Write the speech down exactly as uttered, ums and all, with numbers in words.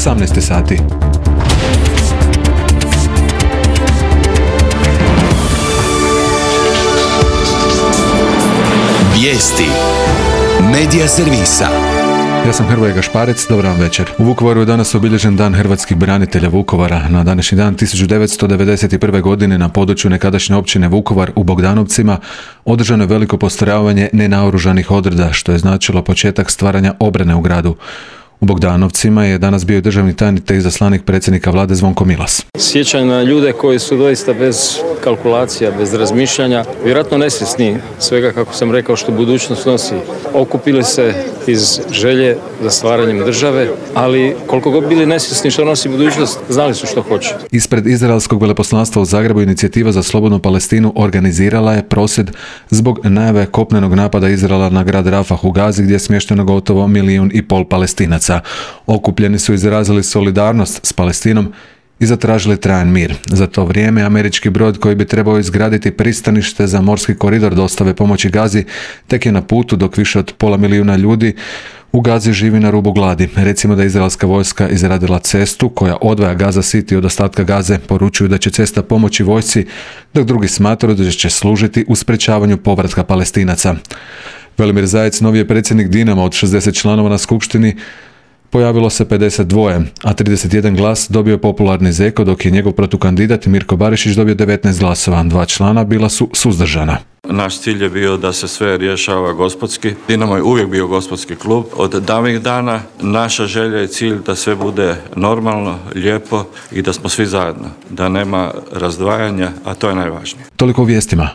osamnaest sati. Vijesti Medija servisa. Ja sam Hrvoje Gašparec, dobar vam večer. U Vukovaru je danas obilježen Dan hrvatskih branitelja Vukovara. Na današnji dan tisuću devetsto devedeset prve. godine na području nekadašnje općine Vukovar u Bogdanovcima održano je veliko postrojavanje nenaoružanih odreda, što je značilo početak stvaranja obrane u gradu. U Bogdanovcima je danas bio državni tajnik te izaslanik predsjednika vlade Zvonko Milas. Sjećanje na ljude koji su doista bez kalkulacija, bez razmišljanja, vjerojatno nesvjesni svega, kako sam rekao, što budućnost nosi. Okupili se iz želje za stvaranjem države, ali koliko god bili nesvjesni što nosi budućnost, znali su što hoće. Ispred izraelskog veleposlanstva u Zagrebu Inicijativa za slobodnu Palestinu organizirala je prosvjed zbog najave kopnenog napada Izraela na grad Rafah u Gazi, gdje je smješteno gotovo milijun i pol Palestinaca. Okupljeni su izrazili solidarnost s Palestinom i zatražili trajan mir. Za to vrijeme američki brod koji bi trebao izgraditi pristanište za morski koridor dostave pomoći Gazi tek je na putu, dok više od pola milijuna ljudi u Gazi živi na rubu gladi. Recimo da je izraelska vojska izradila cestu koja odvaja Gaza City od ostatka Gaze. Poručuju da će cesta pomoći vojsci, dok drugi smatraju da će služiti u sprečavanju povratka Palestinaca. Velimir Zajec, novi je predsjednik Dinama. Od šezdeset članova na skupštini pojavilo se pedeset dva, a trideset jedan glas dobio je popularni Zeko, dok je njegov protukandidat Mirko Barišić dobio devetnaest glasova. Dva člana bila su suzdržana. Naš cilj je bio da se sve rješava gospodski. Dinamo je uvijek bio gospodski klub. Od davnih dana naša želja i cilj da sve bude normalno, lijepo i da smo svi zajedno. Da nema razdvajanja, a to je najvažnije. Toliko u vijestima.